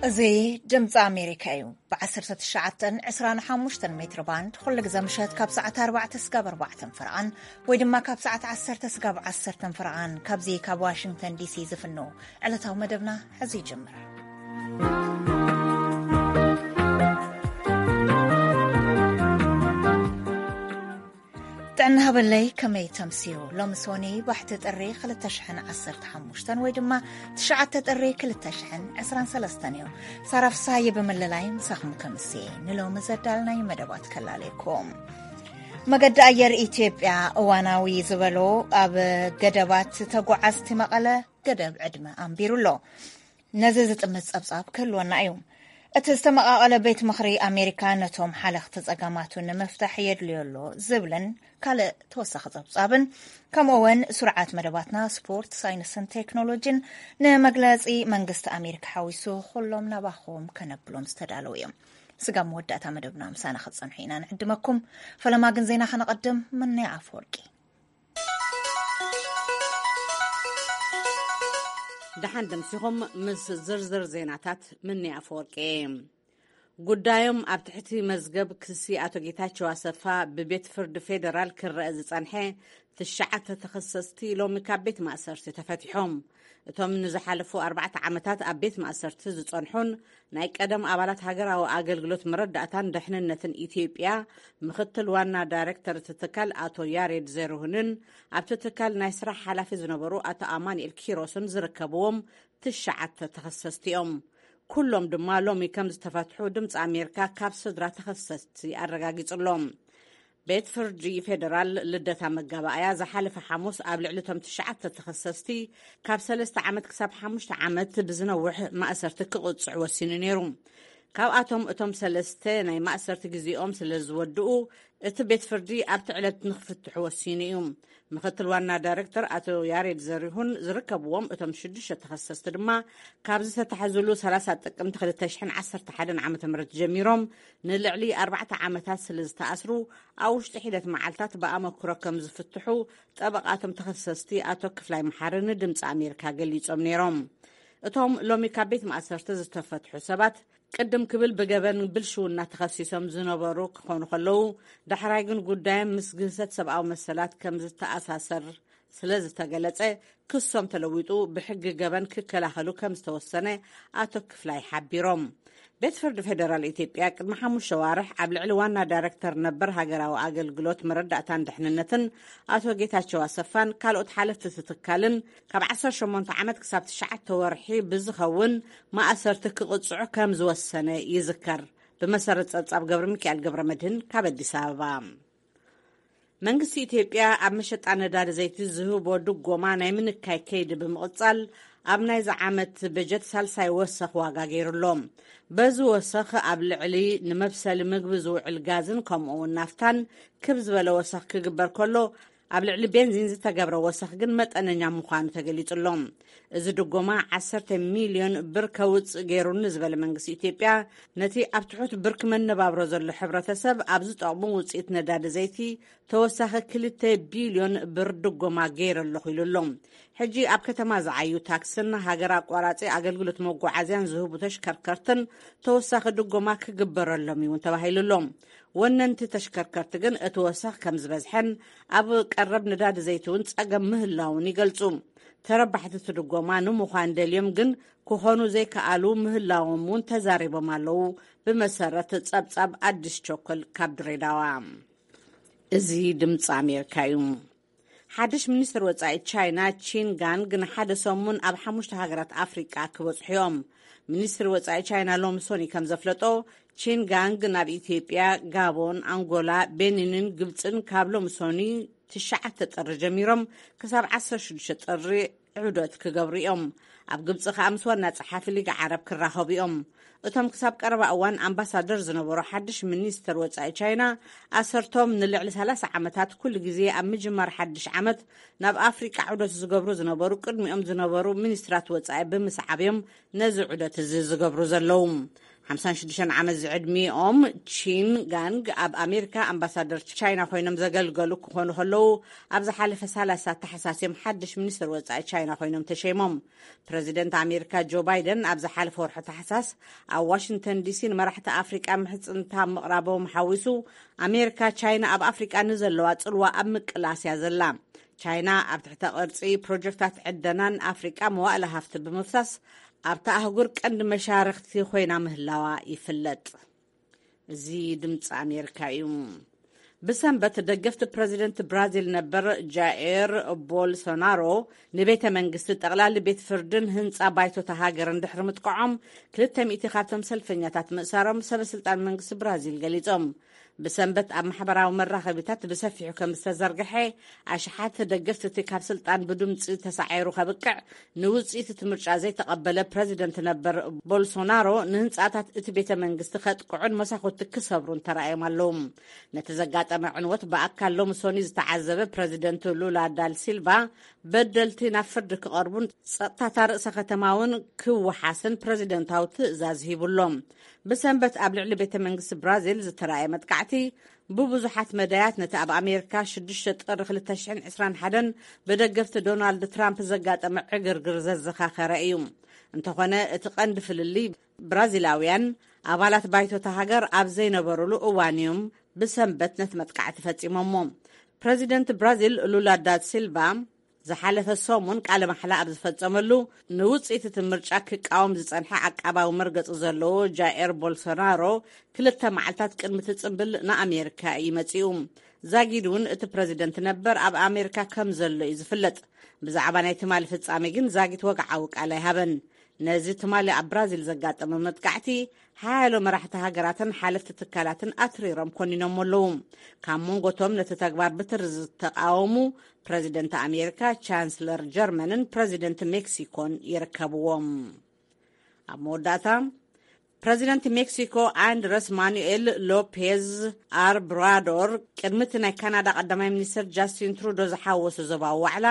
እዚ ድምፂ ኣሜሪካ እዩ። ብ19 25 ሜትሮ ባንድ ኩሉ ግዜ ምሸት ካብ ሰዓት ኣርባዕተ ስጋብ ኣርባዕተ ፈረቓን ወይ ድማ ካብ ሰዓት ዓሰርተ ስጋብ ዓሰርተ ፈረቓን ካብዚ ካብ ዋሽንግተን ዲሲ ዝፍኖ ዕለታዊ መደብና ሕዚ ይጅምር። ጥዕና ሃበለይ፣ ከመይ ተምስዩ? ሎሚ ሶኒ ባሕቲ ጥሪ ክልተ ሽሕን ዓሰርተ ሓሙሽተን ወይ ድማ ትሽዓተ ጥሪ ክልተ ሽሕን ዕስራን ሰለስተን እዩ። ሳራ ፍሳሃየ ብምልላይ ምሳኹም ከምሲ ንሎሚ ዘዳልናይ መደባት ከላለየኩም። መገዲ ኣየር ኢትዮጵያ እዋናዊ ዝበሎ ኣብ ገደባት ተጓዓዝቲ መቐለ ገደብ ዕድመ ኣንቢሩ ኣሎ። ነዚ ዝጥምት ጸብጻብ ክህልወና እዩ። እቲ ዝተመቓቐለ ቤት ምኽሪ ኣሜሪካ ነቶም ሓለኽቲ ጸገማቱ ንምፍታሕ የድልዮ ኣሎ ዝብልን ካልእ ተወሳኺ ጸብጻብን፣ ከምኡ እውን ስርዓት መደባትና ስፖርት፣ ሳይንስን ቴክኖሎጂን ንመግለጺ መንግስቲ ኣሜሪካ ሓዊሱ ኩሎም ናባኹም ከነብሎም ዝተዳለዉ እዮም። ስጋብ መወዳእታ መደብና ምሳና ክትጸንሑ ኢና ንዕድመኩም። ፈለማ ግን ዜና ከነቐድም። ምንያ ኣፈወርቂ። ደሓን ደምሲኹም ምስ ዝርዝር ዜናታት። ምኒ ኣፈወርቂ። ጉዳዮም ኣብ ትሕቲ መዝገብ ክሲ ኣቶ ጌታቸው ኣሰፋ ብቤት ፍርዲ ፌደራል ክረአ ዝጸንሐ ትሽዓተ ተኸሰስቲ ሎሚ ካብ ቤት ማእሰርቲ ተፈቲሖም። እቶም ንዝሓለፉ ኣርባዕተ ዓመታት ኣብ ቤት ማእሰርቲ ዝጸንሑን ናይ ቀደም ኣባላት ሃገራዊ ኣገልግሎት መረዳእታን ድሕንነትን ኢትዮጵያ ምኽትል ዋና ዳይሬክተር እቲ ትካል ኣቶ ያሬድ ዘርሁንን ኣብቲ ትካል ናይ ስራሕ ሓላፊ ዝነበሩ ኣቶ ኣማኑኤል ኪሮስን ዝርከብዎም ትሽዓተ ተኸሰስቲ እዮም። ኩሎም ድማ ሎሚ ከም ዝተፈትሑ ድምፂ ኣሜሪካ ካብ ስድራ ተኸሰስቲ ኣረጋጊጹሎም። ቤት ፍርዲ ፌደራል ልደታ መጋባእያ ዝሓለፈ ሓሙስ ኣብ ልዕሊ እቶም ትሽዓተ ተኸሰስቲ ካብ ሰለስተ ዓመት ክሳብ ሓሙሽተ ዓመት ብዝነውሕ ማእሰርቲ ክቕጽዑ ወሲኑ ነይሩ። ካብኣቶም እቶም ሰለስተ ናይ ማእሰርቲ ግዜኦም ስለ ዝወድኡ እቲ ቤት ፍርዲ ኣብቲ ዕለት ንክፍትሑ ወሲኑ እዩ። ምክትል ዋና ዳይሬክተር ኣቶ ያሬድ ዘሪሁን ዝርከብዎም እቶም ሽዱሽተ ተኸሰስቲ ድማ ካብ ዝተታሕዝሉ ሰላሳ ጥቅምቲ ክልተ ሽሕን ዓሰርተ ሓደን ዓመተ ምህረት ጀሚሮም ንልዕሊ ኣርባዕተ ዓመታት ስለ ዝተኣስሩ ኣብ ውሽጢ ሒደት መዓልታት ብኣመክሮ ከም ዝፍትሑ ጠበቓቶም ተኸሰስቲ ኣቶ ክፍላይ መሓሪ ንድምፂ ኣሜሪካ ገሊጾም ነይሮም። እቶም ሎሚ ካብ ቤት ማእሰርቲ ዝተፈትሑ ሰባት ቅድም ክብል ብገበን ብልሽውና ተኸሲሶም ዝነበሩ ክኾኑ ከለዉ፣ ዳሕራይ ግን ጉዳዮም ምስ ግህሰት ሰብኣዊ መሰላት ከም ዝተኣሳሰር ስለ ዝተገለጸ፣ ክሶም ተለዊጡ ብሕጊ ገበን ክከላኸሉ ከም ዝተወሰነ ኣቶ ክፍላይ ሓቢሮም። ቤት ፍርዲ ፌደራል ኢትዮጵያ ቅድሚ ሓሙሽተ ዋርሕ ኣብ ልዕሊ ዋና ዳይሬክተር ነበር ሃገራዊ ኣገልግሎት መረዳእታን ድሕንነትን ኣቶ ጌታቸው ኣሰፋን ካልኦት ሓለፍቲ እቲ ትካልን ካብ ዓሰርተ ሸሞንተ ዓመት ክሳብ ትሽዓተ ወርሒ ብዝኸውን ማእሰርቲ ክቕጽዑ ከም ዝወሰነ ይዝከር። ብመሰረት ጸብጻብ ገብረ ሚካኤል ገብረ መድህን ካብ ኣዲስ ኣበባ። መንግስቲ ኢትዮጵያ ኣብ መሸጣ ነዳዲ ዘይቲ ዝህቦ ድጎማ ናይ ምንካይ ከይዲ ብምቕጻል ኣብ ናይዚ ዓመት በጀት ሳልሳይ ወሰኽ ዋጋ ገይሩ ኣሎ። በዚ ወሰኽ ኣብ ልዕሊ ንመብሰሊ ምግቢ ዝውዕል ጋዝን ከምኡ እውን ናፍታን ክብ ዝበለ ወሰኽ ክግበር ከሎ፣ ኣብ ልዕሊ ቤንዚን ዝተገብረ ወሰኽ ግን መጠነኛ ምዃኑ ተገሊጹ ኣሎ። እዚ ድጎማ ዓሰርተ ሚልዮን ብር ከውጽእ ገይሩኒ ዝበለ መንግስቲ ኢትዮጵያ፣ ነቲ ኣብ ትሑት ብርኪ መነባብሮ ዘሎ ሕብረተሰብ ኣብ ዝጠቕሙ ውጽኢት ነዳዲ ዘይቲ ተወሳኺ ክልተ ቢልዮን ብር ድጎማ ገይረ ኣለኹ ኢሉ ኣሎ። ሕጂ ኣብ ከተማ ዝዓዩ ታክስን ሃገር ኣቋራጺ ኣገልግሎት መጓዓዝያን ዝህቡ ተሽከርከርትን ተወሳኺ ድጎማ ክግበረሎም እዩ እውን ተባሂሉ ኣሎ። ወነንቲ ተሽከርከርቲ ግን እቲ ወሰኽ ከም ዝበዝሐን ኣብ ቀረብ ነዳዲ ዘይቲ እውን ጸገም ምህላውን ይገልጹ። ተረባሕቲ እቲ ድጎማ ንምዃን ደልዮም ግን ክኾኑ ዘይከኣሉ ምህላዎም እውን ተዛሪቦም ኣለዉ። ብመሰረት ጸብጻብ ኣዲስ ቸኮል ካብ ድሬዳዋ። እዚ ድምፂ ኣሜሪካ እዩ። ሓድሽ ሚኒስትር ወጻኢ ቻይና ቺን ጋንግ ንሓደ ሰሙን ኣብ ሓሙሽተ ሃገራት ኣፍሪቃ ክበጽሑ እዮም። ሚኒስትሪ ወጻኢ ቻይና ሎሚ ሶኒ ከም ዘፍለጦ፣ ቺን ጋንግ ናብ ኢትዮጵያ፣ ጋቦን፣ ኣንጎላ፣ ቤኒንን ግብጽን ካብ ሎሚ ሶኒ ትሽዓተ ጥሪ ጀሚሮም ክሳብ ዓሰርተ ሽዱሽተ ጥሪ ዑደት ክገብሩ እዮም። ኣብ ግብጺ ከኣ ምስ ዋና ጸሓፊ ሊግ ዓረብ ክራኸቡ እዮም። እቶም ክሳብ ቀረባ እዋን ኣምባሳደር ዝነበሩ ሓድሽ ሚኒስተር ወጻኢ ቻይና፣ ኣሰርቶም ንልዕሊ ሰላሳ ዓመታት ኩሉ ግዜ ኣብ ምጅማር ሓድሽ ዓመት ናብ ኣፍሪቃ ዑደት ዝገብሩ ዝነበሩ ቅድሚኦም ዝነበሩ ሚኒስትራት ወጻኢ ብምስዓብ እዮም ነዚ ዑደት እዚ ዝገብሩ ዘለዉ። ሓምሳን ሽዱሽተን ዓመት ዝዕድሚኦም ቺን ጋንግ ኣብ ኣሜሪካ ኣምባሳደር ቻይና ኮይኖም ዘገልገሉ ክኾኑ ከለዉ፣ ኣብ ዝሓለፈ ሰላሳ ታሕሳስ እዮም ሓድሽ ሚኒስትር ወጻኢ ቻይና ኮይኖም ተሸይሞም። ፕረዚደንት ኣሜሪካ ጆ ባይደን ኣብ ዝሓለፈ ወርሒ ታሕሳስ ኣብ ዋሽንግተን ዲሲ ንመራሕቲ ኣፍሪቃ ምሕጽንታ ምቕራቦም ሓዊሱ፣ ኣሜሪካ ቻይና ኣብ ኣፍሪቃ ንዘለዋ ጽልዋ ኣብ ምቅላስ እያ ዘላ። ቻይና ኣብ ትሕተ ቅርጺ ፕሮጀክታት ዕደናን ኣፍሪቃ መዋእለ ሃፍቲ ብምፍሳስ ኣብታ ኣህጉር ቀንዲ መሻርክቲ ኮይና ምህላዋ ይፍለጥ። እዚ ድምፂ ኣሜሪካ እዩ። ብሰንበት ደገፍቲ ፕረዚደንት ብራዚል ነበር ጃኤር ቦልሶናሮ ንቤተ መንግስቲ፣ ጠቕላሊ ቤት ፍርድን ህንፃ ባይቶታ ሃገርን ድሕሪ ምጥቃዖም፣ ክልተ ሚእቲ ካብቶም ሰልፈኛታት ምእሳሮም ሰበ ስልጣን መንግስቲ ብራዚል ገሊጾም። ብሰንበት ኣብ ማሕበራዊ መራኸቢታት ብሰፊሑ ከም ዝተዘርግሐ፣ ኣሽሓት ደገፍቲ እቲ ካብ ስልጣን ብድምፂ ተሳዒሩ ከብቅዕ ንውፅኢት እቲ ምርጫ ዘይተቐበለ ፕረዚደንት ነበር ቦልሶናሮ፣ ንህንፃታት እቲ ቤተ መንግስቲ ከጥቅዑን መሳኹቲ ክሰብሩን ተራእዮም ኣለዉ። ነቲ ዘጋጠመ ዕንወት ብኣካል ሎሚ ሶኒ ዝተዓዘበ ፕረዚደንት ሉላ ዳል ሲልቫ፣ በደልቲ ናብ ፍርዲ ክቐርቡን ጸጥታታ ርእሰ ከተማ እውን ክወሓስን ፕረዚደንታዊ ትእዛዝ ሂቡ ኣሎ። ብሰንበት ኣብ ልዕሊ ቤተ መንግስቲ ብራዚል ዝተራእየ መጥቃዕቲ፣ ብብዙሓት መዳያት ነቲ ኣብ ኣሜሪካ ሽዱሽተ ጥሪ ክልተ ሽሕን ዕስራን ሓደን ብደገፍቲ ዶናልድ ትራምፕ ዘጋጠመ ዕግርግር ዘዘኻኸረ እዩ። እንተኾነ፣ እቲ ቀንዲ ፍልልይ፣ ብራዚላውያን ኣባላት ባይቶታ ሃገር ኣብ ዘይነበሩሉ እዋን እዮም ብሰንበት ነቲ መጥቃዕቲ ፈጺሞሞ። ፕረዚደንት ብራዚል ሉላ ዳ ሲልቫ ዝሓለፈ ሰሙን ቃለ ማሕላ ኣብ ዝፈጸመሉ፣ ንውጽኢት እቲ ምርጫ ክቃወም ዝጸንሐ ዓቃባዊ መርገጺ ዘለዎ ጃኤር ቦልሶናሮ፣ ክልተ መዓልታት ቅድሚ እቲ ጽምብል ንኣሜሪካ እዩ መጺኡ። ዛጊድ እውን እቲ ፕረዚደንት ነበር ኣብ ኣሜሪካ ከም ዘሎ እዩ ዝፍለጥ። ብዛዕባ ናይ ትማሊ ፍጻሜ ግን ዛጊት ወግዓዊ ቃል ኣይሃበን። ነዚ ትማሊ ኣብ ብራዚል ዘጋጠመ መጥቃዕቲ፣ ሓያሎ መራሕቲ ሃገራትን ሓለፍቲ ትካላትን ኣትሪሮም ኮኒኖም ኣለዉ። ካብ መንጎቶም ነቲ ተግባር ብትሪ ዝተቃወሙ፣ ፕረዚደንት ኣሜሪካ፣ ቻንስለር ጀርመንን ፕረዚደንት ሜክሲኮን ይርከብዎም። ኣብ መወዳእታ፣ ፕረዚደንት ሜክሲኮ ኣንድረስ ማኑኤል ሎፔዝ ኣርብራዶር፣ ቅድሚ እቲ ናይ ካናዳ ቀዳማይ ሚኒስትር ጃስቲን ትሩዶ ዝሓወሱ ዞባዊ ዋዕላ፣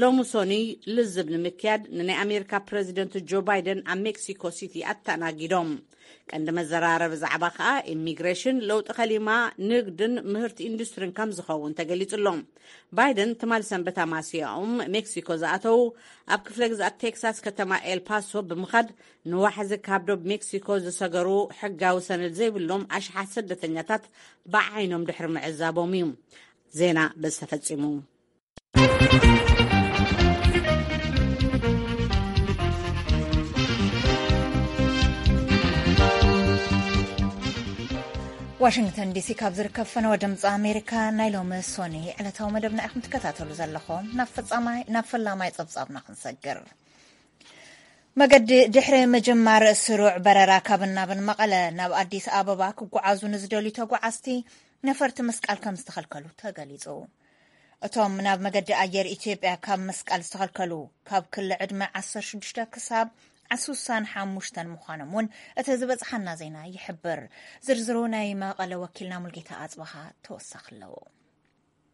ሎሚ ሶኒ ልዝብ ንምክያድ ንናይ ኣሜሪካ ፕረዚደንት ጆ ባይደን ኣብ ሜክሲኮ ሲቲ ኣተኣናጊዶም። ቀንዲ መዘራረቢ ዛዕባ ከኣ ኢሚግሬሽን፣ ለውጢ ከሊማ፣ ንግድን ምህርቲ ኢንዱስትሪን ከም ዝኸውን ተገሊጹ ኣሎ። ባይደን ትማሊ ሰንበት ኣማስያኦም ሜክሲኮ ዝኣተዉ፣ ኣብ ክፍለ ግዝኣት ቴክሳስ ከተማ ኤልፓሶ ብምኻድ፣ ንዋሕዚ ካብ ዶብ ሜክሲኮ ዝሰገሩ ሕጋዊ ሰነድ ዘይብሎም ኣሽሓት ስደተኛታት ብዓይኖም ድሕሪ ምዕዛቦም እዩ። ዜና በዚ ተፈጺሙ። ዋሽንግተን ዲሲ ካብ ዝርከብ ፈነወ ድምፂ ኣሜሪካ ናይ ሎሚ ሶኒ ዕለታዊ መደብና ኢኹም ትከታተሉ ዘለኹም። ናብ ፈጻማይ-፣ ናብ ፈላማይ ጸብጻብና ክንሰግር። መገዲ ድሕሪ ምጅማር ስሩዕ በረራ ካብን ናብን መቐለ ናብ ኣዲስ ኣበባ ክጓዓዙ ንዝደልዩ ተጓዓዝቲ ነፈርቲ ምስቃል ከም ዝተኸልከሉ ተገሊጹ። እቶም ናብ መገዲ ኣየር ኢትዮጵያ ካብ ምስቃል ዝተኸልከሉ ካብ ክሊ ዕድመ ዓሰርተ ሽዱሽተ ክሳብ ስሳን ሓሙሽተን ምዃኖም እውን እቲ ዝበጽሓና ዜና ይሕብር። ዝርዝሩ ናይ መቐለ ወኪልና ሙልጌታ ኣጽበሃ ተወሳኺ ኣለዎ።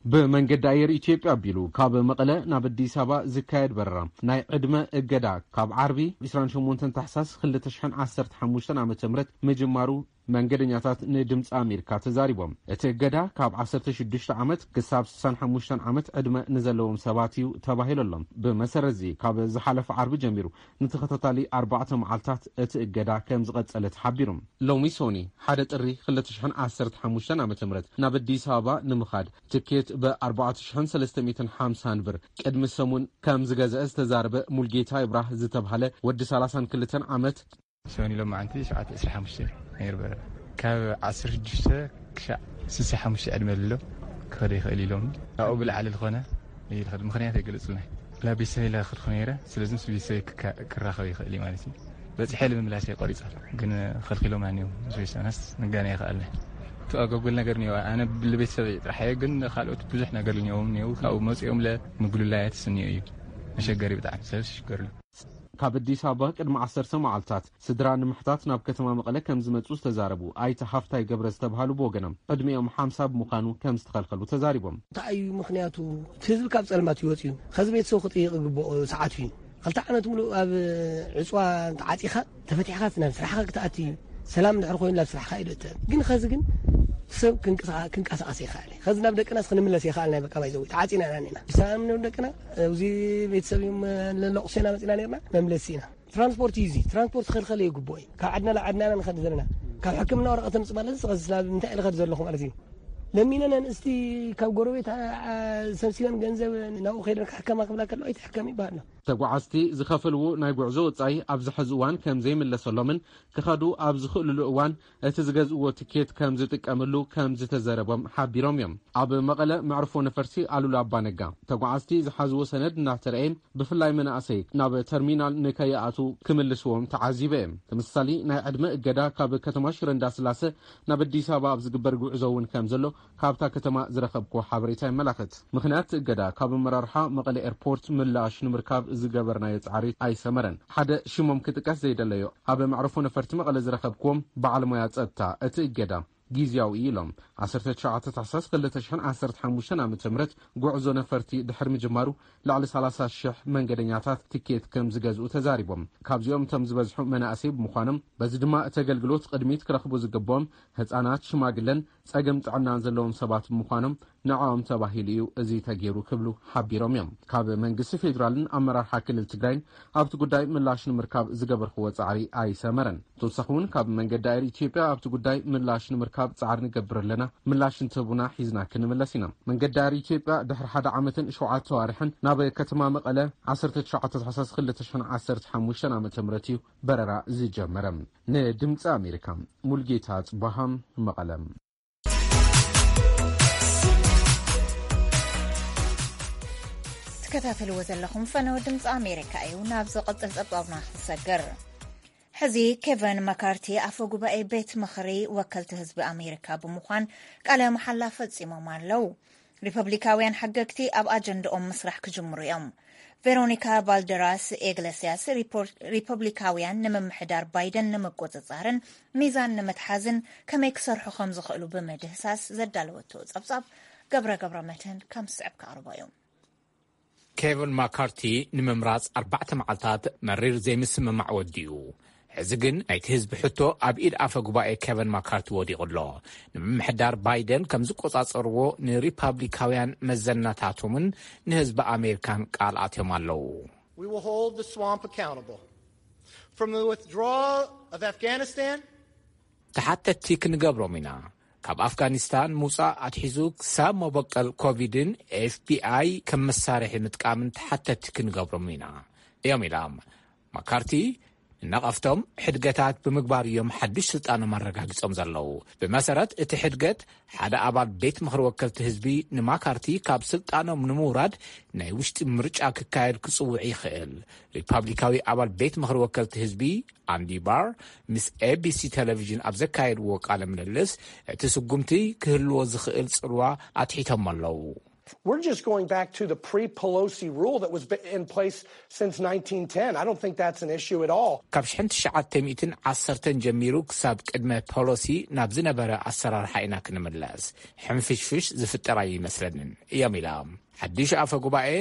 ብመንገዲ ኣየር ኢትዮጵያ ኣቢሉ ካብ መቐለ ናብ ኣዲስ ኣበባ ዝካየድ በረራ ናይ ዕድመ እገዳ ካብ ዓርቢ ዕስራን ሸሞንተን ታሕሳስ ክልተ ሽሕን ዓሰርተ ሓሙሽተን ዓመተ ምህረት ምጅማሩ መንገደኛታት ንድምፂ ኣሜሪካ ተዛሪቦም። እቲ እገዳ ካብ ዓሰርተ ሽዱሽተ ዓመት ክሳብ ስሳን ሓሙሽተን ዓመት ዕድመ ንዘለዎም ሰባት እዩ ተባሂሉ ኣሎ። ብመሰረት እዚ ካብ ዝሓለፈ ዓርቢ ጀሚሩ ንተኸታታሊ ኣርባዕተ መዓልታት እቲ እገዳ ከም ዝቐጸለ ተሓቢሩ። ሎሚ ሶኒ ሓደ ጥሪ ክልተ ሽሕን ዓሰርተ ሓሙሽተን ዓመተ ምህረት ናብ ኣዲስ ኣበባ ንምኻድ ትኬት ብ ኣርባዕተ ሽሕን ሰለስተ ሚእትን ሓምሳን ብር ቅድሚ ሰሙን ከም ዝገዝአ ዝተዛረበ ሙልጌታ ይብራህ ዝተብሃለ ወዲ ሰላሳን ክልተን ዓመት፣ ሶኒ ሎማዓንቲ ሸውዓተ ዕስራ ሓሙሽተ ነይሩ በረራ። ካብ ዓሰርተ ሽዱሽተ ክሻዕ ስሳ ሓሙሽተ ዕድመ ኣሎ ክኸደ ይኽእል ኢሎም። ካብኡ ብላዕሊ ዝኾነ ይልኸድ ምኽንያት ኣይገለጹልናይ። ላ ቤተሰብ ኢለ ክድኩ ነይረ፣ ስለዚ ምስ ቤተሰብ ክካ-፣ ክራኸብ ይኽእል እዩ ማለት እዩ። በጺሐ ንምምላስ እየ ቆሪጸ፣ ግን ከልኪሎምና እዮም። ምስ ቤተሰብናስ ንጋነ ይኽኣልና። እቲ ኣጓጉል ነገር እኒኦ፣ ኣነ ብሊ ቤተሰብ ጥራሕ እየ፣ ግን ካልኦት ብዙሕ ነገር እኒኦም እኒኦ፣ ካብኡ መጺኦም ለ ምግሉላያት ስኒኦ እዩ። መሸገሪ ብጣዕሚ፣ ሰብ ዝሽገርሉ። ካብ ኣዲስ ኣበባ ቅድሚ ዓሰርተ መዓልታት ስድራ ንምሕታት ናብ ከተማ መቐለ ከም ዝመጹ ዝተዛረቡ ኣይተ ሃፍታይ ገብረ ዝተባሃሉ ብወገኖም፣ ዕድሚኦም ሓምሳ ብምዃኑ ከም ዝተኸልከሉ ተዛሪቦም። እንታይ እዩ ምኽንያቱ? እቲ ህዝቢ ካብ ጸልማት እዩ ወጺኡ። ከዚ ቤተሰቡ ክጥይቕ ይግብኦ ሰዓቱ እዩ። ክልተ ዓመት ሙሉእ ኣብ ዕጽዋ ተዓጺኻ፣ ተፈቲሕካ ናብ ስራሕኻ ክትኣቲ፣ ሰላም ድሕር ኮይኑ ናብ ስራሕ ካይዶ እትህብ ግን ኸዚ ግን ሰብ ክንቀሳቐስ ይኽእል። ኸዚ ናብ ደቅናስ ክንምለስ ይኽእል ናይ በቃ ባይዘው ተዓፂና ኢና ኒና ብሰላም ናብ ደቅና። እዚ ቤተሰብ እዮም ለለቑሴና መፂና ነርና መምለሲ ኢና። ትራንስፖርት እዩ እዚ ትራንስፖርት ክልኸል ይግብኦ እዩ። ካብ ዓድና ናብ ዓድና ኢና ንኸድ ዘለና። ካብ ሕክምና ወረቐት ምፅ ማለት እዚ ኸዚ ስላብ እንታይ ኢለ ኸድ ዘለኹ ማለት እዩ። ለሚነን ኣንስቲ ካብ ጎረቤት ሰብሲበን ገንዘብ ናብኡ ከይደን ክሕከማ ክብላ ከለዋ ኣይትሕከም ይበሃል። ተጓዓዝቲ ዝኸፈልዎ ናይ ጉዕዞ ወጻኢ ኣብዚ ሕዚ እዋን ከም ዘይምለሰሎምን ክኸዱ ኣብ ዝኽእልሉ እዋን እቲ ዝገዝእዎ ትኬት ከም ዝጥቀምሉ ከም ዝተዘረቦም ሓቢሮም እዮም። ኣብ መቐለ መዕርፎ ነፈርቲ ኣሉላ ኣባነጋ ተጓዓዝቲ ዝሓዝዎ ሰነድ እናተረእየ ብፍላይ መናእሰይ ናብ ተርሚናል ንከይኣቱ ክምልስዎም ተዓዚበ እየ። ተመሳሳሊ ናይ ዕድመ እገዳ ካብ ከተማ ሽረ እንዳስላሰ ናብ ኣዲስ ኣበባ ኣብ ዝግበር ጉዕዞ እውን ከም ዘሎ ካብታ ከተማ ዝረኸብክዎ ሓበሬታ የመላኽት። ምኽንያት እገዳ ካብ ኣመራርሓ መቐለ ኤርፖርት ምላሽ ንምርካብ ዝገበርናዮ ጻዕሪ ኣይሰመረን። ሓደ ሽሞም ክጥቀስ ዘይደለዮ ኣብ መዕርፎ ነፈርቲ መቐለ ዝረኸብክዎም በዓል ሞያ ጸጥታ እቲ እገዳ ግዝያዊ እዩ ኢሎም። ዓሰርተ ትሽዓተ ታሕሳስ ክልተ ሽሕን ዓሰርተ ሓሙሽተን ዓመተ ምህረት ጉዕዞ ነፈርቲ ድሕሪ ምጅማሩ ልዕሊ ሰላሳ ሽሕ መንገደኛታት ትኬት ከም ዝገዝኡ ተዛሪቦም። ካብዚኦም እቶም ዝበዝሑ መናእሰይ ብምዃኖም በዚ ድማ እቲ ኣገልግሎት ቅድሚት ክረኽቡ ዝግብኦም ህጻናት፣ ሽማግለን ጸገም ጥዕናን ዘለዎም ሰባት ብምዃኖም ንዕኦም ተባሂሉ እዩ እዚ ተገይሩ ክብሉ ሓቢሮም እዮም። ካብ መንግስቲ ፌዴራልን ኣመራርሓ ክልል ትግራይን ኣብቲ ጉዳይ ምላሽ ንምርካብ ዝገበርክዎ ጻዕሪ ኣይሰመረን። ብተወሳኺ እውን ካብ መንገዲ ኣየር ኢትዮጵያ ኣብቲ ጉዳይ ምላሽ ንምርካብ ጻዕሪ ንገብር ኣለና፣ ምላሽ እንትህቡና ሒዝና ክንምለስ ኢና። መንገዲ ኣየር ኢትዮጵያ ድሕሪ ሓደ ዓመትን ሸውዓተ ኣዋርሕን ናብ ከተማ መቐለ ዓሰርተ ትሽዓተ ታሕሳስ ክልተ ሽሕን ዓሰርተ ሓሙሽተን ዓመተ ምህረት እዩ በረራ ዝጀመረ። ንድምፂ ኣሜሪካ ሙልጌታ ጽባሃ መቐለ። ትከታተልዎ ዘለኹም ፈነወ ድምፂ ኣሜሪካ እዩ። ናብ ዝቕፅል ፀብፃብና ክትሰግር ሕዚ ኬቨን መካርቲ ኣፈ ጉባኤ ቤት ምኽሪ ወከልቲ ህዝቢ ኣሜሪካ ብምዃን ቃለ መሓላ ፈፂሞም ኣለዉ። ሪፐብሊካውያን ሓገግቲ ኣብ ኣጀንድኦም ምስራሕ ክጅምሩ እዮም። ቬሮኒካ ባልደራስ ኤግለስያስ ሪፖርት- ሪፐብሊካውያን ንምምሕዳር ባይደን ንምቁጽጻርን ሚዛን ንምትሓዝን ከመይ ክሰርሑ ከም ዝኽእሉ ብምድህሳስ ዘዳለወቶ ጸብጻብ ገብረ ገብረ መድህን ከም ዝስዕብ ከቕርቦ እዩ። ኬቨን ማካርቲ ንምምራጽ ኣርባዕተ መዓልታት መሪር ዘይምስምማዕ ወዲኡ። ሕዚ ግን ናይቲ ህዝቢ ሕቶ ኣብ ኢድ ኣፈ ጉባኤ ኬቨን ማካርቲ ወዲቑ ኣሎ። ንምምሕዳር ባይደን ከም ዝቆጻጸርዎ ንሪፓብሊካውያን መዘናታቶምን ንህዝቢ ኣሜሪካን ቃል ኣትዮም ኣለዉ። We will hold the swamp accountable. From the withdrawal of Afghanistan ተሓተትቲ ክንገብሮም ኢና። ካብ ኣፍጋኒስታን ምውጻእ ኣትሒዙ ክሳብ መበቀል ኮቪድን ኤፍቢኣይ ከም መሳርሒ ምጥቃምን ተሓተትቲ ክንገብሮም ኢና እዮም ኢሎም። ማካርቲ ንነቐፍቶም ሕድገታት ብምግባር እዮም ሓድሽ ስልጣኖም ኣረጋጊጾም ዘለዉ። ብመሰረት እቲ ሕድገት ሓደ ኣባል ቤት ምኽሪ ወከልቲ ህዝቢ ንማካርቲ ካብ ስልጣኖም ንምውራድ ናይ ውሽጢ ምርጫ ክካየድ ክጽውዕ ይኽእል። ሪፓብሊካዊ ኣባል ቤት ምኽሪ ወከልቲ ህዝቢ ኣንዲ ባር ምስ ኤቢሲ ቴሌቪዥን ኣብ ዘካየድዎ ቃለ ምልልስ እቲ ስጉምቲ ክህልዎ ዝኽእል ጽልዋ ኣትሒቶም ኣለዉ። We're just going back to the pre-Pelosi rule that was in place since nineteen ten. I don't think that's an issue at all. ካብ ሽሕን ትሽዓተ ሚእትን ዓሰርተን ጀሚሩ ክሳብ ቅድመ ፖሎሲ ናብ ዝነበረ ኣሰራርሓ ኢና ክንምለስ። ሕንፍሽፍሽ ዝፍጠር ኣይመስለንን እዮም ኢሎም። ሓድሽ ኣፈ ጉባኤ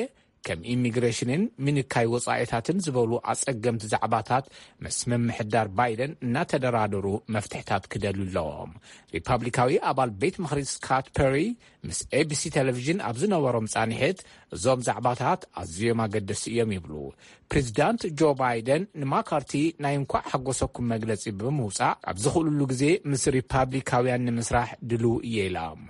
ከም ኢሚግሬሽንን ምንካይ ወጻኢታትን ዝበሉ ኣጸገምቲ ዛዕባታት ምስ ምምሕዳር ባይደን እናተደራደሩ መፍትሕታት ክደልዩ ኣለዎም። ሪፓብሊካዊ ኣባል ቤት ምኽሪ ስካት ፐሪ ምስ ኤቢሲ ቴሌቪዥን ኣብ ዝነበሮም ጻንሒት እዞም ዛዕባታት ኣዝዮም ኣገደስቲ እዮም ይብሉ። ፕሬዚዳንት ጆ ባይደን ንማካርቲ ናይ እንኳዕ ሓጎሰኩም መግለጺ ብምውጻእ ኣብ ዝኽእልሉ ግዜ ምስ ሪፓብሊካውያን ንምስራሕ ድልው እየ ኢሎም።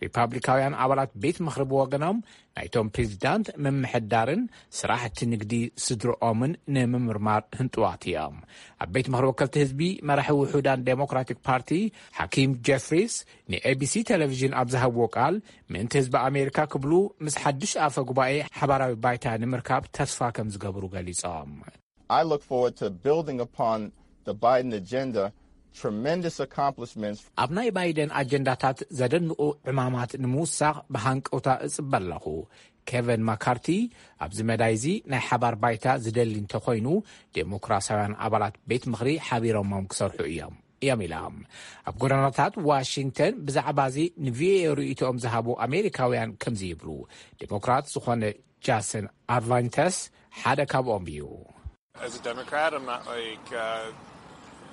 ሪፓብሊካውያን ኣባላት ቤት ምኽሪ ብወገኖም ናይቶም ፕሬዚዳንት ምምሕዳርን ስራሕቲ ንግዲ ስድርኦምን ንምምርማር ህንጥዋት እዮም። ኣብ ቤት ምኽሪ ወከልቲ ህዝቢ መራሒ ውሑዳን ዴሞክራቲክ ፓርቲ ሓኪም ጀፍሪስ ንኤቢሲ ቴሌቪዥን ኣብ ዝሃብዎ ቃል ምእንቲ ህዝቢ ኣሜሪካ ክብሉ ምስ ሓድሽ ኣፈ ጉባኤ ሓባራዊ ባይታ ንምርካብ ተስፋ ከም ዝገብሩ ገሊጾም። I look forward to building upon the Biden agenda, tremendous accomplishments. ኣብ ናይ ባይደን ኣጀንዳታት ዘደንቑ ዕማማት ንምውሳኽ ብሃንቀውታ እጽበ ኣለኹ። ኬቨን ማካርቲ ኣብዚ መዳይ እዚ ናይ ሓባር ባይታ ዝደሊ እንተኾይኑ ዴሞክራሲያውያን ኣባላት ቤት ምኽሪ ሓቢሮሞም ክሰርሑ እዮም እዮም ኢሎም። ኣብ ጎደናታት ዋሽንግተን ብዛዕባ እዚ ንቪኦኤ ርእይቶኦም ዝሃቡ ኣሜሪካውያን ከምዚ ይብሉ። ዴሞክራት ዝኾነ ጃሰን ኣርቫንተስ ሓደ ካብኦም እዩ። As a Democrat, I'm not like uh,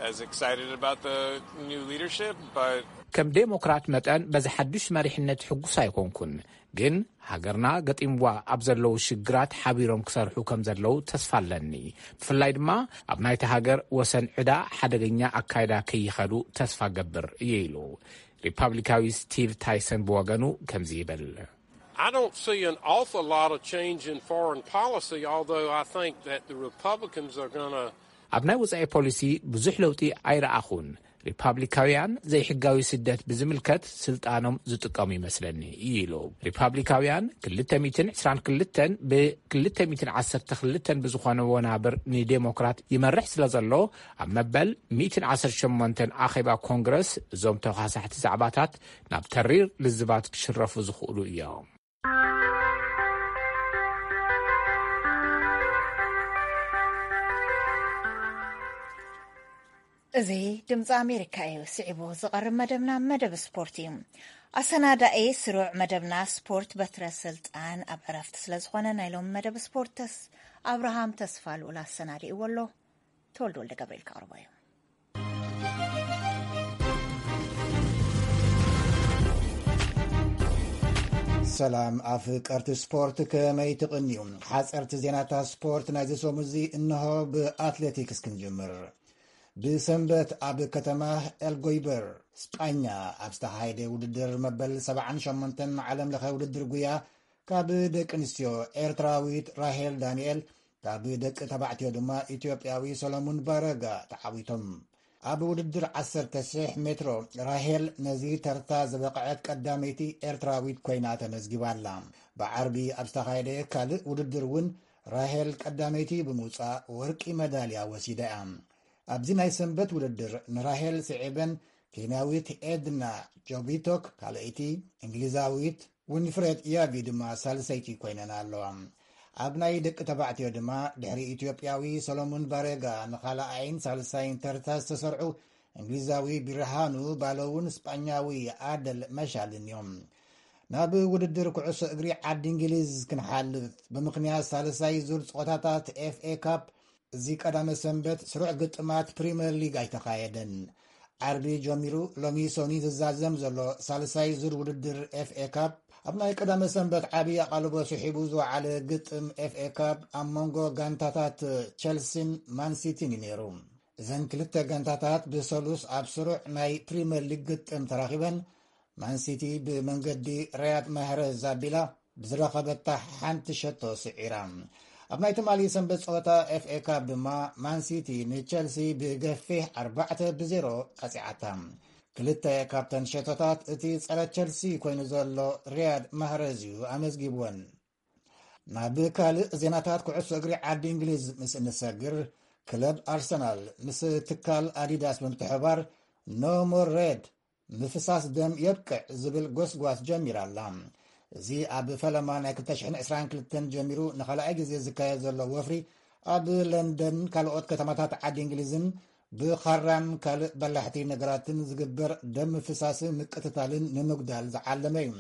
As excited about the new leadership, but ከም ዴሞክራት መጠን በዚ ሓዱሽ መሪሕነት ሕጉስ ኣይኮንኩን፣ ግን ሃገርና ገጢምዋ ኣብ ዘለዉ ሽግራት ሓቢሮም ክሰርሑ ከም ዘለዉ ተስፋ ኣለኒ። ብፍላይ ድማ ኣብ ናይቲ ሃገር ወሰን ዕዳ ሓደገኛ ኣካይዳ ከይኸዱ ተስፋ ገብር እየ ኢሉ ሪፓብሊካዊ ስቲቭ ታይሰን ብወገኑ ከምዚ ይብል። I don't see an awful lot of change in foreign policy, although I think that the Republicans are going to ኣብ ናይ ወጻኢ ፖሊሲ ብዙሕ ለውጢ ኣይረኣኹን። ሪፓብሊካውያን ዘይሕጋዊ ስደት ብዝምልከት ስልጣኖም ዝጥቀሙ ይመስለኒ ኢሉ። ሪፓብሊካውያን ክልተ ሚእትን ዕስራን ክልተን ብክልተ ሚእትን ዓሰርተ ክልተን ብዝኾነ ወናብር ንዴሞክራት ይመርሕ ስለ ዘሎ፣ ኣብ መበል ሚእትን ዓሰርተ ሸሞንተን ኣኼባ ኮንግረስ እዞም ተኻሳሕቲ ዛዕባታት ናብ ተሪር ልዝባት ክሽረፉ ዝኽእሉ እዮም። እዚ ድምፂ ኣሜሪካ እዩ። ስዒቡ ዝቐርብ መደብና መደብ ስፖርት እዩ። ኣሰናዳኤ ስሩዕ መደብና ስፖርት በትረ ስልጣን ኣብ ዕረፍቲ ስለ ዝኾነ ናይ ሎሚ መደብ ስፖርትስ ኣብርሃም ተስፋ ልኡል ኣሰናዲእዎ ኣሎ። ተወልደ ወልደ ገብርኤል ከቕርቦ እዩ። ሰላም ኣፍቀርቲ ስፖርት፣ ከመይ ትቕንዩ? ሓፀርቲ ዜናታት ስፖርት ናይዚ ሰሙን እዚ እንሆ። ብኣትሌቲክስ ክንጅምር። ብሰንበት ኣብ ከተማ ኤልጎይበር ስጳኛ ኣብ ዝተኻየደ ውድድር መበል ሰብዓን ሸሞንተን ዓለም ለኸ ውድድር ጉያ ካብ ደቂ ኣንስትዮ ኤርትራዊት ራሄል ዳንኤል ካብ ደቂ ተባዕትዮ ድማ ኢትዮጵያዊ ሰሎሙን ባረጋ ተዓዊቶም። ኣብ ውድድር ዓሰርተ ሽሕ ሜትሮ ራሄል ነዚ ተርታ ዝበቕዐት ቀዳመይቲ ኤርትራዊት ኮይና ተመዝጊባ ኣላ። ብዓርቢ ኣብ ዝተኻየደ ካልእ ውድድር እውን ራሄል ቀዳመይቲ ብምውጻእ ወርቂ መዳልያ ወሲዳ እያ። ኣብዚ ናይ ሰንበት ውድድር ንራሄል ስዒበን ኬንያዊት ኤድና ጆቢቶክ ካልኣይቲ፣ እንግሊዛዊት ዊንፍሬድ ያቪ ድማ ሳልሰይቲ ኮይነን ኣለዋ። ኣብ ናይ ደቂ ተባዕትዮ ድማ ድሕሪ ኢትዮጵያዊ ሰሎሙን ባሬጋ ንኻልኣይን ሳልሳይን ተርታ ዝተሰርዑ እንግሊዛዊ ቢርሃኑ ባሎውን ስጳኛዊ ኣደል መሻልን እዮም። ናብ ውድድር ኩዕሶ እግሪ ዓዲ እንግሊዝ ክንሓልፍ፣ ብምኽንያት ሳልሳይ ዙር ፀወታታት ኤፍኤ ካፕ እዚ ቀዳመ ሰንበት ስሩዕ ግጥማት ፕሪምየር ሊግ ኣይተኻየደን። ዓርቢ ጀሚሩ ሎሚ ሰኒ ዝዛዘም ዘሎ ሳልሳይ ዙር ውድድር ኤፍኤ ካፕ፣ ኣብ ናይ ቀዳመ ሰንበት ዓብዪ ኣቓልቦ ስሒቡ ዝወዓለ ግጥም ኤፍኤ ካፕ ኣብ መንጎ ጋንታታት ቸልሲን ማንሲቲን እዩ ነይሩ። እዘን ክልተ ጋንታታት ብሰሉስ ኣብ ስሩዕ ናይ ፕሪምየር ሊግ ግጥም ተራኺበን፣ ማንሲቲ ብመንገዲ ሪያድ ማህረዝ ኣቢላ ብዝረኸበታ ሓንቲ ሸቶ ስዒራ። ኣብ ናይ ትማሊ ሰንበት ጸወታ ኤፍኤ ካፕ ድማ ማንሲቲ ንቸልሲ ብገፊሕ ኣርባዕተ ብዜሮ ቀጺዓታ። ክልተ ካብተን ሸቶታት እቲ ጸረ ቸልሲ ኮይኑ ዘሎ ሪያድ ማህረዝ እዩ ኣመዝጊብወን። ናብ ካልእ ዜናታት ኩዕሶ እግሪ ዓዲ እንግሊዝ ምስ እንሰግር፣ ክለብ ኣርሰናል ምስ ትካል ኣዲዳስ ብምትሕባር ኖ ሞር ሬድ፣ ምፍሳስ ደም የብቅዕ ዝብል ጎስጓስ ጀሚራ ኣላ። እዚ ኣብ ፈለማ ናይ ክልተ ሽሕን ዕስራን ክልተን ጀሚሩ ንኻልኣይ ግዜ ዝካየድ ዘሎ ወፍሪ፣ ኣብ ለንደን ካልኦት ከተማታት ዓዲ እንግሊዝን ብኻራን ካልእ በላሕቲ ነገራትን ዝግበር ደም ምፍሳስን ምቅትታልን ንምጉዳል ዝዓለመ እዩ።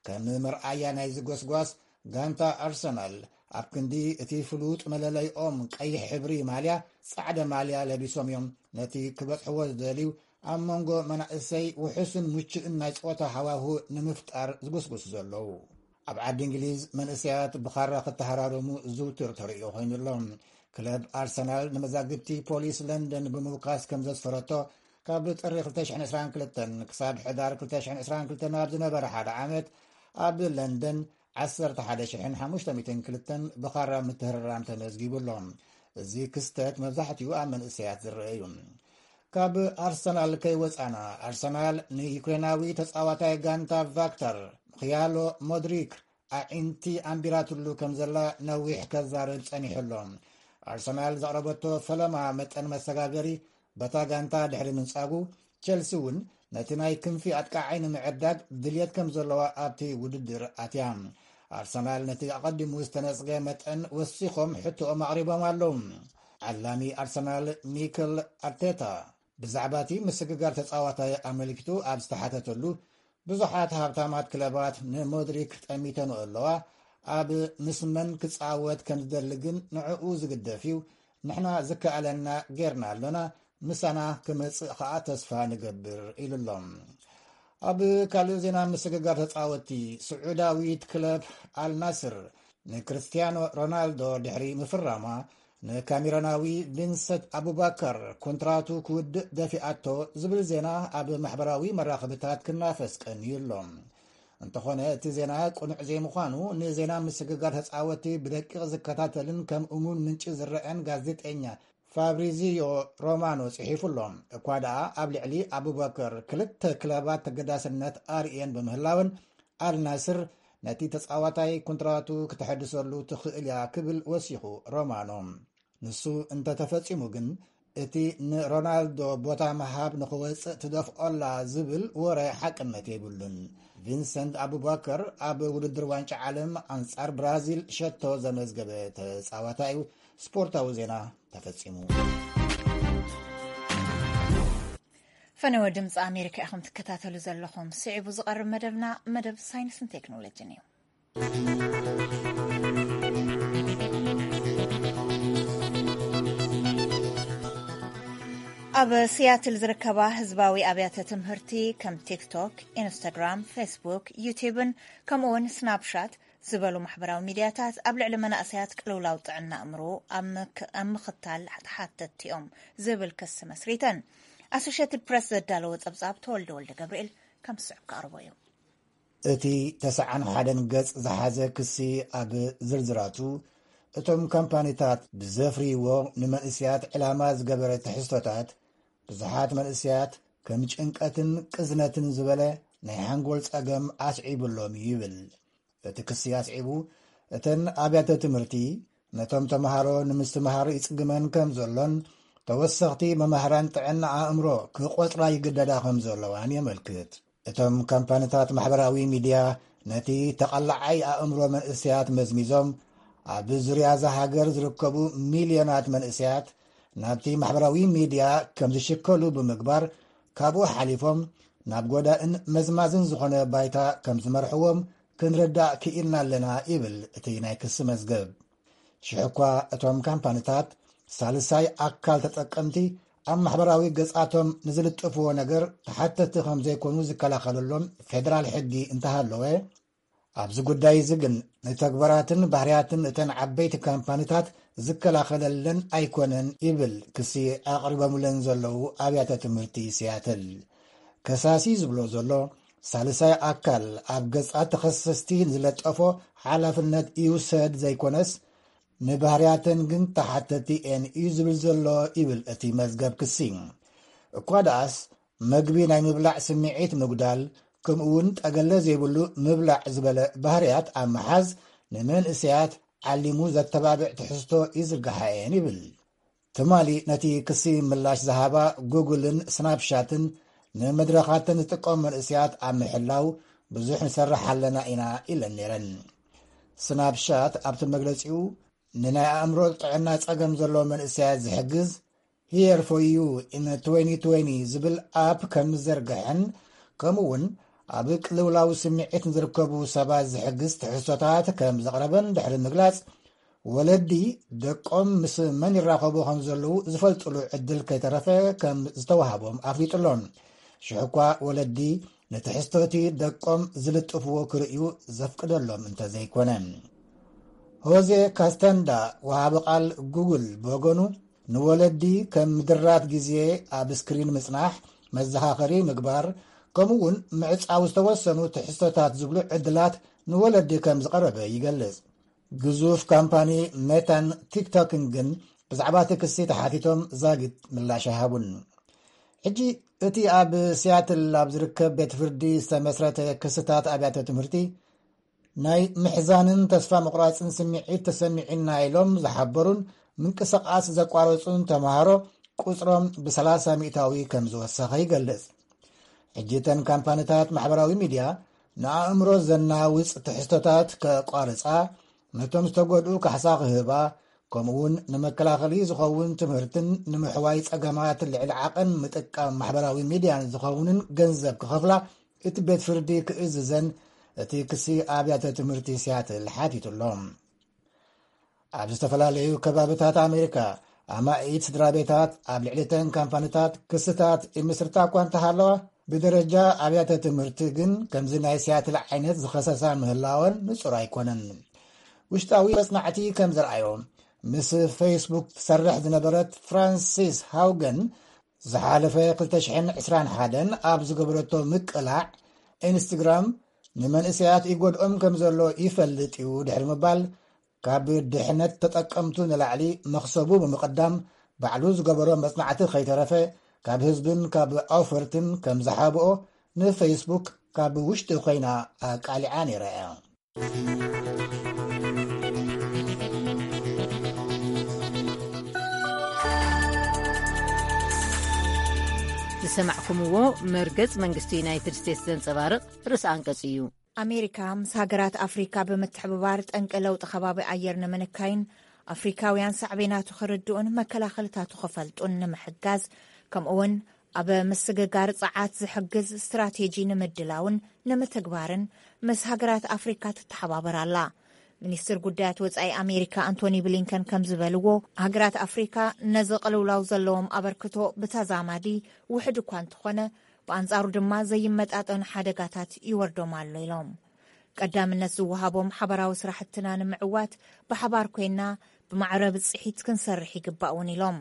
ከም መርኣያ ናይዚ ጎስጓስ፣ ጋንታ ኣርሰናል ኣብ ክንዲ እቲ ፍሉጥ መለለይኦም ቀይሕ ሕብሪ ማልያ፣ ጻዕዳ ማልያ ለቢሶም እዮም ነቲ ክበጽሕዎ ዝደልዩ ኣብ መንጎ መናእሰይ ውሑስን ምቹእን ናይ ጸወታ ሃዋሁ ንምፍጣር ዝጉስጉሱ ዘለዉ። ኣብ ዓዲ እንግሊዝ መንእሰያት ብኻራ ክተሃራረሙ ዝውቱር ተርእዮ ኮይኑ ኣሎ። ክለብ ኣርሰናል ንመዛግብቲ ፖሊስ ለንደን ብምውካስ ከም ዘስፈረቶ፣ ካብ ጥሪ ክልተ ሽሕን ዕስራን ክልተን ክሳብ ሕዳር ክልተ ሽሕን ዕስራን ክልተን ኣብ ዝነበረ ሓደ ዓመት ኣብ ለንደን ዓሰርተ ሓደ ሽሕን ሓሙሽተ ሚእትን ክልተን ብኻራ ምትህርራም ተመዝጊቡ ኣሎ። እዚ ክስተት መብዛሕትኡ ኣብ መንእሰያት ዝረአ እዩ። ካብ ኣርሰናል ከይወጻና፣ ኣርሰናል ንዩክሬናዊ ተጻዋታይ ጋንታ ቫክተር ምኽያሎ ሞድሪክ ኣዒንቲ ኣንቢራትሉ ከም ዘላ ነዊሕ ከዛርብ ጸኒሑ ኣሎ። ኣርሰናል ዘቕረበቶ ፈለማ መጠን መሰጋገሪ በታ ጋንታ ድሕሪ ምንጻጉ፣ ቸልሲ እውን ነቲ ናይ ክንፊ ኣጥቃዓይ ንምዕዳግ ድልየት ከም ዘለዋ ኣብቲ ውድድር ኣትያ። ኣርሰናል ነቲ ኣቐዲሙ ዝተነጽገ መጠን ወሲኾም ሕቶኦም ኣቕሪቦም ኣለዉ። ዓላሚ ኣርሰናል ሚክል ኣርቴታ ብዛዕባ እቲ ምስግጋር ተጻዋታይ ኣመልኪቱ ኣብ ዝተሓተተሉ፣ ብዙሓት ሃብታማት ክለባት ንሞድሪክ ጠሚተንኦ ኣለዋ፣ ኣብ ምስ መን ክጻወት ከም ዝደሊ ግን ንዕኡ ዝግደፍ እዩ፣ ንሕና ዝከኣለና ጌርና ኣሎና፣ ምሳና ክመጽእ ከኣ ተስፋ ንገብር ኢሉ ኣሎ። ኣብ ካልእ ዜና፣ ምስግጋር ተጻወትቲ፣ ስዑዳዊት ክለብ ኣልናስር ንክርስቲያኖ ሮናልዶ ድሕሪ ምፍራማ፣ ንካሜሮናዊ ቪንሰንት ኣቡባከር ኮንትራቱ ክውድእ ደፊኣቶ ዝብል ዜና ኣብ ማሕበራዊ መራኸብታት ክናፈስ ቀንዩ ኣሎ። እንተኾነ፣ እቲ ዜና ቅኑዕ ዘይምዃኑ ንዜና ምስግጋር ተጻወትቲ ብደቂቕ ዝከታተልን ከም እሙን ምንጪ ዝረአን ጋዜጠኛ ፋብሪዚዮ ሮማኖ ጽሒፉ ኣሎ። እኳ ደኣ ኣብ ልዕሊ ኣቡበከር ክልተ ክለባት ተገዳስነት ኣርእየን ብምህላወን፣ ኣልናስር ነቲ ተጻዋታይ ኮንትራቱ ክተሐድሰሉ ትኽእል እያ ክብል ወሲኹ ሮማኖ። ንሱ እንተተፈጺሙ ግን፣ እቲ ንሮናልዶ ቦታ ምሃብ ንኽወጽእ ትደፍኦ ኣላ ዝብል ወረ ሓቅነት የብሉን። ቪንሰንት ኣቡባከር ኣብ ውድድር ዋንጫ ዓለም ኣንጻር ብራዚል ሸቶ ዘመዝገበ ተጻዋታይ እዩ። ስፖርታዊ ዜና ተፈጺሙ። ፈነወ ድምፂ ኣሜሪካ ኢኹም ትከታተሉ ዘለኹም። ስዒቡ ዝቐርብ መደብና መደብ ሳይንስን ቴክኖሎጂን እዩ። ኣብ ሲያትል ዝርከባ ህዝባዊ ኣብያተ ትምህርቲ ከም ቲክቶክ፣ ኢንስታግራም፣ ፌስቡክ፣ ዩቲብን ከምኡውን ስናፕሻት ዝበሉ ማሕበራዊ ሚድያታት ኣብ ልዕሊ መናእሰያት ቅልውላው ጥዕና ኣእምሮ ኣብ ምክ-፣ ኣብ ምኽታል ተሓተትቲ እዮም ዝብል ክሲ መስሪተን። ኣሶሼትድ ፕሬስ ዘዳለዎ ጸብጻብ ተወልደ ወልደ ገብርኤል ከም ዝስዕብ ክቐርቦ እዩ። እቲ ተስዓን ሓደን ገጽ ዝሓዘ ክሲ ኣብ ዝርዝራቱ፣ እቶም ካምፓኒታት ብዘፍርይዎ ንመንእሰያት ዕላማ ዝገበረ ትሕዝቶታት፣ ብዙሓት መንእሰያት ከም ጭንቀትን ቅዝነትን ዝበለ ናይ ሓንጎል ጸገም ኣስዒቡሎም እዩ ይብል። እቲ ክሲ ኣስዒቡ፣ እተን ኣብያተ ትምህርቲ ነቶም ተምሃሮ ንምስትምሃር ይጽግመን ከም ዘሎን፣ ተወሰኽቲ መማህራን ጥዕና ኣእምሮ ክቖጽራ ይግደዳ ከም ዘለዋን የመልክት። እቶም ካምፓኒታት ማሕበራዊ ሚድያ ነቲ ተቐላዓይ ኣእምሮ መንእሰያት መዝሚዞም፣ ኣብ ዙርያ እዛ ሃገር ዝርከቡ ሚልዮናት መንእሰያት ናብቲ ማሕበራዊ ሚድያ ከም ዝሽከሉ ብምግባር፣ ካብኡ ሓሊፎም ናብ ጎዳእን መዝማዝን ዝኾነ ባይታ ከም ዝመርሕዎም ክንርዳእ ክኢልና ኣለና ይብል እቲ ናይ ክሲ መዝገብ። ሽሕ እኳ እቶም ካምፓኒታት ሳልሳይ ኣካል ተጠቀምቲ ኣብ ማሕበራዊ ገጻቶም ንዝልጥፍዎ ነገር ተሓተቲ ከም ዘይኮኑ ዝከላኸለሎም ፌደራል ሕጊ እንተሃለወ፣ ኣብዚ ጉዳይ እዚ ግን ንተግባራትን ባህርያትን እተን ዓበይቲ ካምፓኒታት ዝከላኸለለን ኣይኮነን ይብል ክሲ ኣቕሪቦምለን ዘለዉ ኣብያተ ትምህርቲ ሲያትል። ከሳሲ ዝብሎ ዘሎ፣ ሳልሳይ ኣካል ኣብ ገጻት ተኸሰስቲ ዝለጠፎ ሓላፍነት ይውሰድ ዘይኮነስ፣ ንባህርያተን ግን ተሓተቲ እየን እዩ ዝብል ዘሎ ይብል እቲ መዝገብ ክሲ። እኳ ደኣስ፣ መግቢ ናይ ምብላዕ ስምዒት ምጉዳል፣ ከምኡ እውን ጠገለ ዘይብሉ ምብላዕ ዝበለ ባህርያት ኣብ ምሓዝ፣ ንመንእሰያት ዓሊሙ ዘተባብዕ ትሕዝቶ ይዝርግሓ እየን ይብል። ትማሊ ነቲ ክሲ ምላሽ ዝሃባ ጉግልን ስናፕሻትን፣ ንመድረኻተን ዝጥቀሙ መንእሰያት ኣብ ምሕላው ብዙሕ ንሰርሕ ኣለና ኢና ኢለን ነይረን። ስናፕሻት ኣብቲ መግለጺኡ፣ ንናይ ኣእምሮ ጥዕና ጸገም ዘለዎ መንእሰያት ዝሕግዝ Here for You in twenty twenty ዝብል ኣፕ ከም ዝዘርግሐን፣ ከምኡ እውን ኣብ ቅልውላው ስምዒት ንዝርከቡ ሰባት ዝሕግዝ ትሕዝቶታት ከም ዘቕረበን ድሕሪ ምግላጽ፣ ወለዲ ደቆም ምስ መን ይራኸቡ ከም ዘለዉ ዝፈልጥሉ ዕድል ከይተረፈ ከም ዝተዋህቦም ኣፍሊጡ ኣሎ። ሽሕ እኳ ወለዲ ንትሕዝቶቲ ደቆም ዝልጥፍዎ ክርእዩ ዘፍቅደሎም እንተዘይኮነ። ሆዜ ካስተንዳ፣ ወሃቢ ቃል ጉግል ብወገኑ፣ ንወለዲ ከም ምድራት ግዜ፣ ኣብ ስክሪን ምጽናሕ፣ መዘኻኸሪ ምግባር፣ ከምኡ እውን ምዕጻው ዝተወሰኑ ትሕዝቶታት ዝብሉ ዕድላት ንወለዲ ከም ዝቐረበ ይገልጽ። ግዙፍ ካምፓኒ ሜታን ቲክቶክን ግን ብዛዕባ እቲ ክሲ ተሓቲቶም ዛጊት ምላሽ ኣይሃቡን። ሕጂ እቲ ኣብ ሲያትል ኣብ ዝርከብ ቤት ፍርዲ ዝተመስረተ ክስታት ኣብያተ ትምህርቲ፣ ናይ ምሕዛንን ተስፋ ምቑራጽን ስምዒት ተሰሚዑና ኢሎም ዝሓበሩን ምንቅስቓስ ዘቋረጹን ተምሃሮ ቁጽሮም ብ30% ከም ዝወሰኸ ይገልጽ። ሕጂ እተን ካምፓኒታት ማሕበራዊ ሚድያ ንኣእምሮ ዘናውጽ ትሕዝቶታት ከቋርጻ፣ ነቶም ዝተጎድኡ ካሕሳ ክህባ፣ ከምኡውን ንመከላኸሊ ዝኸውን ትምህርትን ንምሕዋይ ጸገማት ልዕሊ ዓቐን ምጥቃም ማሕበራዊ ሚድያን ዝኸውንን ገንዘብ ክኸፍላ እቲ ቤት ፍርዲ ክእዝዘን እቲ ክሲ ኣብያተ ትምህርቲ ሲያትል ሓቲቱ ኣሎ። ኣብ ዝተፈላለዩ ከባብታት ኣሜሪካ ኣማኢት ስድራ ቤታት ኣብ ልዕሊ እተን ካምፓኒታት ክስታት ይምስርታ እኳ እንተሃለዋ፣ ብደረጃ ኣብያተ ትምህርቲ ግን ከምዚ ናይ ሲያትል ዓይነት ዝኸሰሳ ምህላወን ንጹር ኣይኮነን። ውሽጣዊ መጽናዕቲ ከም ዘርኣዮ፣ ምስ ፌስቡክ ትሰርሕ ዝነበረት ፍራንሲስ ሃውገን ዝሓለፈ ክልተ ሽሕን ዕስራን ሓደን ኣብ ዝገበረቶ ምቅላዕ፣ ኢንስትግራም ንመንእሰያት ይጎድኦም ከም ዘሎ ይፈልጥ እዩ ድሕሪ ምባል፣ ካብ ድሕነት ተጠቀምቱ ንላዕሊ መኽሰቡ ብምቕዳም፣ ባዕሉ ዝገበሮ መጽናዕቲ ከይተረፈ ካብ ህዝብን ካብ ኣውፈርትን ከም ዝሓብኦ ንፌስቡክ ካብ ውሽጢ ኮይና ኣቃሊዓ ነይራ እያ። ዝሰማዕኩምዎ መርገጽ መንግስቲ ዩናይትድ ስቴትስ ዘንጸባርቕ ርእሲ ኣንቀጽ እዩ። ኣሜሪካ ምስ ሃገራት ኣፍሪካ ብምትሕብባር ጠንቂ ለውጢ ከባቢ ኣየር ንምንካይን ኣፍሪካውያን ሳዕቤናቱ ክርድኡን መከላኸልታቱ ክፈልጡን ንምሕጋዝ፣ ከምኡውን ኣብ ምስግጋር ጸዓት ዝሕግዝ ስትራቴጂ ንምድላውን ንምትግባርን ምስ ሃገራት ኣፍሪካ ትተሓባበር ኣላ። ሚኒስትር ጉዳያት ወጻኢ ኣሜሪካ ኣንቶኒ ብሊንከን ከም ዝበልዎ፣ ሃገራት ኣፍሪካ ነዚ ቅልውላው ዘለዎም ኣበርክቶ ብተዛማዲ ውሕድ እኳ እንተኾነ፣ ብኣንጻሩ ድማ ዘይመጣጠኑ ሓደጋታት ይወርዶም ኣሎ ኢሎም። ቀዳምነት ዝወሃቦም ሓባራዊ ስራሕትና ንምዕዋት ብሓባር ኮይና ብማዕረ ብጽሒት ክንሰርሕ ይግባእ እውን ኢሎም።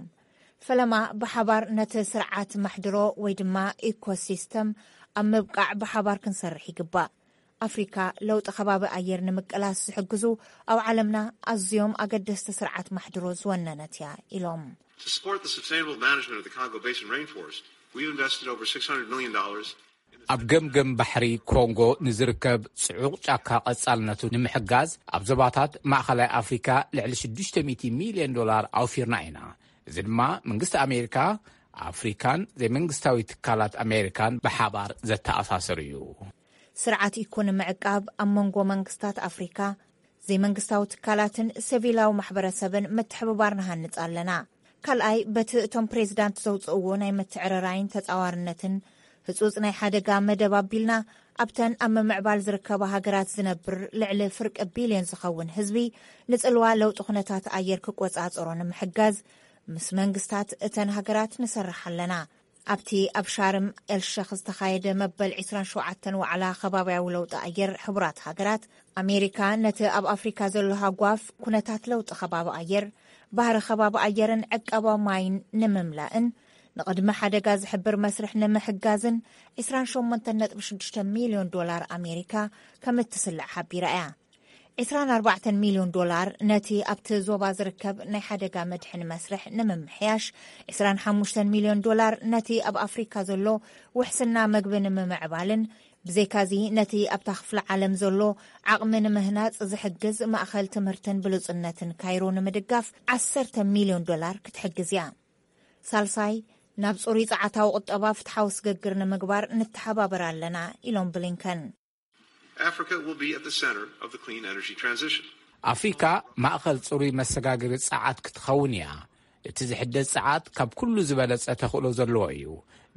ፈለማ ብሓባር ነቲ ስርዓት ማሕድሮ ወይ ድማ ኢኮሲስተም ኣብ ምብቃዕ ብሓባር ክንሰርሕ ይግባእ። ኣፍሪካ ለውጢ ከባቢ ኣየር ንምቅላስ ዝሕግዙ ኣብ ዓለምና ኣዝዮም ኣገደስቲ ስርዓት ማሕድሮ ዝወነነት እያ ኢሎም። To support the sustainable management of the Congo Basin rainforest, we've invested over six hundred million dollars. ኣብ ገምገም ባሕሪ ኮንጎ ንዝርከብ ጽዑቕ ጫካ ቀጻልነቱ ንምሕጋዝ ኣብ ዞባታት ማእኸላይ ኣፍሪካ ልዕሊ ሽዱሽተ ሚእቲ ሚልዮን ዶላር ኣውፊርና ኢና። እዚ ድማ መንግስቲ ኣሜሪካ፣ ኣፍሪካን ዘይመንግስታዊ ትካላት ኣሜሪካን ብሓባር ዘተኣሳስር እዩ። ስርዓት ኢኮኖሚ ምዕቃብ ኣብ መንጎ መንግስታት ኣፍሪካ፣ ዘይመንግስታዊ ትካላትን ሲቪላዊ ማሕበረሰብን ምትሕብባር ንሃንጽ ኣለና። ካልኣይ፣ በቲ እቶም ፕሬዚዳንት ዘውፅእዎ ናይ ምትዕርራይን ተፃዋርነትን ህፁፅ ናይ ሓደጋ መደብ ኣቢልና፣ ኣብተን ኣብ ምምዕባል ዝርከባ ሃገራት ዝነብር ልዕሊ ፍርቂ ቢልዮን ዝኸውን ህዝቢ ንፅልዋ ለውጢ ኩነታት ኣየር ክቆፃፀሮ ንምሕጋዝ ምስ መንግስታት እተን ሃገራት ንሰርሕ ኣለና። ኣብቲ ኣብ ሻርም ኤልሸኽ ዝተኻየደ መበል ዕስራን ሸውዓተን ዋዕላ ከባብያዊ ለውጢ ኣየር ሕቡራት ሃገራት፣ ኣሜሪካ ነቲ ኣብ ኣፍሪካ ዘሎ ሃጓፍ ኩነታት ለውጢ ከባቢ ኣየር፣ ባህሪ ከባቢ ኣየርን ዕቀባ ማይን ንምምላእን ንቕድሚ ሓደጋ ዝሕብር መስርሕ ንምሕጋዝን ዕስራን ሸሞንተን ነጥቢ ሽዱሽተ ሚልዮን ዶላር ኣሜሪካ ከም እትስልዕ ሓቢራ እያ። ዕስራን ኣርባዕተን ሚልዮን ዶላር ነቲ ኣብቲ ዞባ ዝርከብ ናይ ሓደጋ መድሕን መስርሕ ንምምሕያሽ፣ ዕስራን ሓሙሽተን ሚልዮን ዶላር ነቲ ኣብ ኣፍሪካ ዘሎ ውሕስና መግቢ ንምምዕባልን ብዘይካዚ ነቲ ኣብታ ክፍለ ዓለም ዘሎ ዓቕሚ ንምህናፅ ዝሕግዝ ማእኸል ትምህርትን ብሉፅነትን ካይሮ ንምድጋፍ ዓሰርተ ሚልዮን ዶላር ክትሕግዝ እያ። ሳልሳይ፣ ናብ ፅሩይ ፀዓታዊ ቁጠባ ፍትሓዊ ስግግር ንምግባር ንተሓባበር ኣለና ኢሎም ብሊንከን። Africa will be at the center of the clean energy transition. ኣፍሪካ ማእኸል ፅሩይ መሰጋገሪ ፀዓት ክትኸውን እያ። እቲ ዝሕደስ ፀዓት ካብ ኩሉ ዝበለፀ ተኽእሎ ዘለዎ እዩ።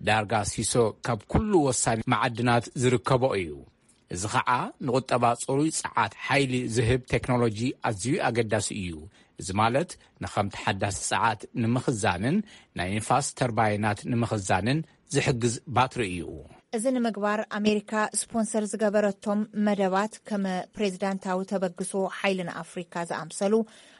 ዳርጋ ሲሶ ካብ ኩሉ ወሳኒ መዓድናት ዝርከቦ እዩ። እዚ ኸዓ ንቁጠባ ፅሩይ ፀዓት ሓይሊ ዝህብ ቴክኖሎጂ ኣዝዩ ኣገዳሲ እዩ። እዚ ማለት ንኸም ተሓዳሲ ፀዓት ንምኽዛንን ናይ ንፋስ ተርባይናት ንምኽዛንን ዝሕግዝ ባትሪ እዩ። እዚ ንምግባር ኣሜሪካ ስፖንሰር ዝገበረቶም መደባት ከም ፕሬዚዳንታዊ ተበግሶ ሓይሊ ንኣፍሪካ ዝኣምሰሉ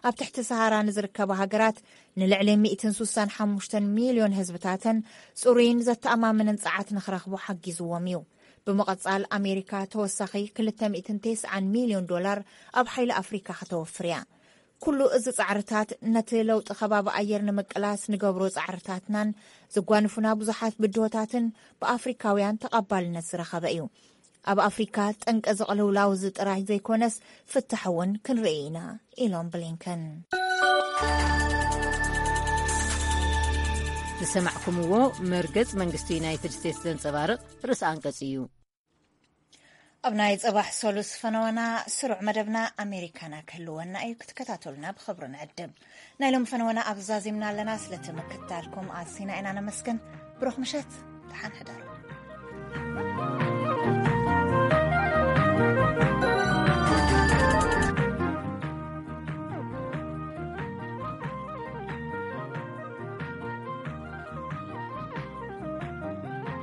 ኣብ ትሕቲ ሰሃራ ንዝርከባ ሃገራት ንልዕሊ ሚእትን ሱሳን ሓሙሽተን ሚልዮን ህዝብታተን ፅሩይን ዘተኣማምንን ፀዓት ንክረኽቡ ሓጊዝዎም እዩ። ብምቐፃል ኣሜሪካ ተወሳኺ ክልተ ሚእትን ተስዓን ሚልዮን ዶላር ኣብ ሓይሊ ኣፍሪካ ከተወፍር እያ። ኩሉ እዚ ፃዕርታት ነቲ ለውጢ ከባቢ ኣየር ንምቅላስ ንገብሮ ፃዕርታትናን ዘጓንፉና ብዙሓት ብድሆታትን ብኣፍሪካውያን ተቐባልነት ዝረኸበ እዩ። ኣብ ኣፍሪካ ጠንቂ ዝቕልውላው እዚ ጥራይ ዘይኮነስ ፍታሕ እውን ክንርኢ ኢና ኢሎም ብሊንከን። ዝሰማዕኩምዎ መርገጽ መንግስቲ ዩናይትድ ስቴትስ ዘንጸባርቕ ርእሲ ኣንቀጽ እዩ። ኣብ ናይ ጽባሕ ሰሉስ ፈነወና ስሩዕ መደብና ኣሜሪካና ክህልወና እዩ። ክትከታተሉና ብኽብሪ ንዕድም። ናይ ሎም ፈነወና ኣብ ዛዚምና ኣለና። ስለቲ ምክትታልኩም ኣዚና ኢና ነመስግን። ብሩኽ ምሸት፣ ደሓን ሕደሩ።